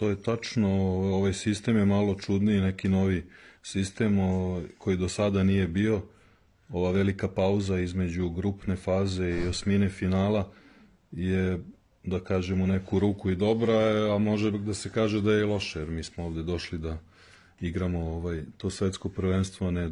to je tačno. Ovaj sistem je malo čudniji, neki novi sistem koji do sada nije bio. Ova velika pauza između grupne faze i osmine finala je, da kažem, u neku ruku i dobra, a može da se kaže da je i loše, jer mi smo ovde došli da igramo to svetsko prvenstvo, ne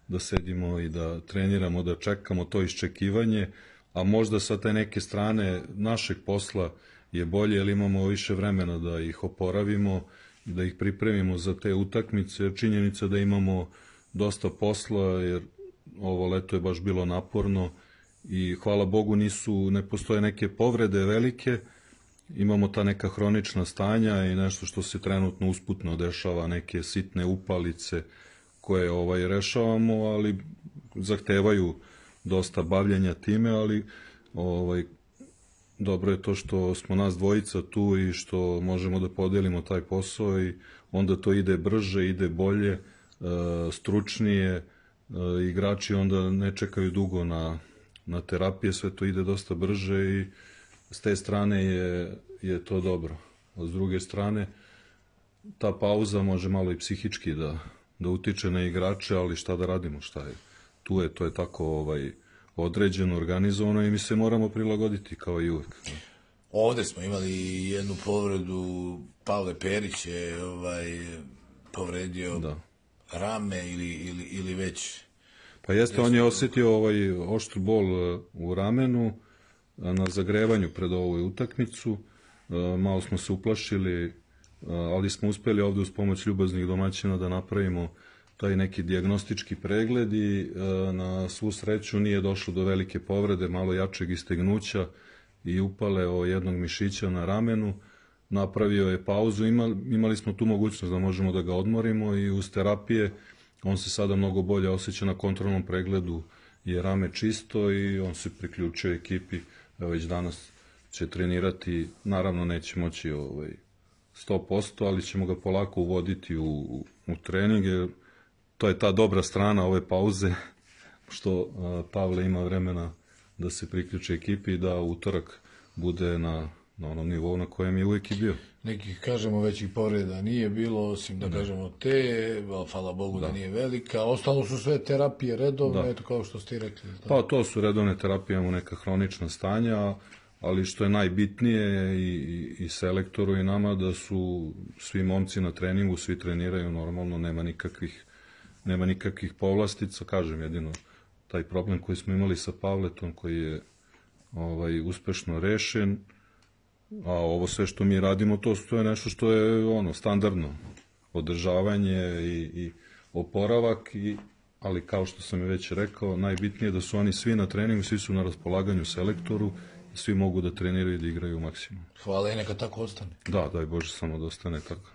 da sedimo i da treniramo, da čekamo to iščekivanje, a možda sa te neke strane našeg posla je bolje, jer imamo više vremena da ih oporavimo i da ih pripremimo za te utakmice, jer činjenica da imamo dosta posla, jer ovo leto je baš bilo naporno i hvala Bogu ne postoje neke povrede velike, imamo ta neka hronična stanja i nešto što se trenutno usputno dešava, neke sitne upalice koje rešavamo, ali zahtevaju dosta bavljenja time, ali dobro je to što smo nas dvojica tu i što možemo da podelimo taj posao i onda to ide brže, ide bolje, stručnije, igrači onda ne čekaju dugo na terapije, sve to ide dosta brže i s te strane je to dobro. A s druge strane, ta pauza može malo i psihički da utiče na igrače, ali šta da radimo, šta je? To je tako određeno, organizovano i mi se moramo prilagoditi kao i uvek. Ovde smo imali jednu povredu, Pavle Perić je povredio rame ili već... Pa jeste, on je osetio oštru bol u ramenu na zagrevanju pred ovu utakmicu, malo smo se uplašili, ali smo uspeli ovde uz pomoć ljubaznih domaćina da napravimo taj neki dijagnostički pregled i na svu sreću nije došlo do velike povrede, malo jačeg istegnuća i upale jednog mišića na ramenu. Napravio je pauzu, imali smo tu mogućnost da možemo da ga odmorimo i uz terapije on se sada mnogo bolje osjeća, na kontrolnom pregledu je rame čisto i on se priključio ekipi, već danas će trenirati, naravno neće moći 100%, ali ćemo ga polako uvoditi u trening, jer to je ta dobra strana ove pauze, što Pavle ima vremena da se priključi ekipi i da utorak bude na onom nivou na kojem je uvijek i bio. Nekih, kažemo, većih povreda nije bilo, osim da kažemo hvala Bogu da nije velika. Ostalo su sve terapije redovne, eto kao što ste i rekli. Pa to su redovne terapije, imamo neka hronična stanja, ali što je najbitnije i selektoru i nama, da su svi momci na treningu, svi treniraju normalno, nema nikakvih povlastica, kažem, jedino taj problem koji smo imali sa Pavletom, koji je uspešno rešen, a ovo sve što mi radimo, to je nešto što je standardno, održavanje i oporavak, ali kao što sam je već rekao, najbitnije je da su oni svi na treningu, svi su na raspolaganju selektoru, svi mogu da treniraju i da igraju maksimum. Hvala i neka tako ostane. Da, daj Bože samo da ostane tako.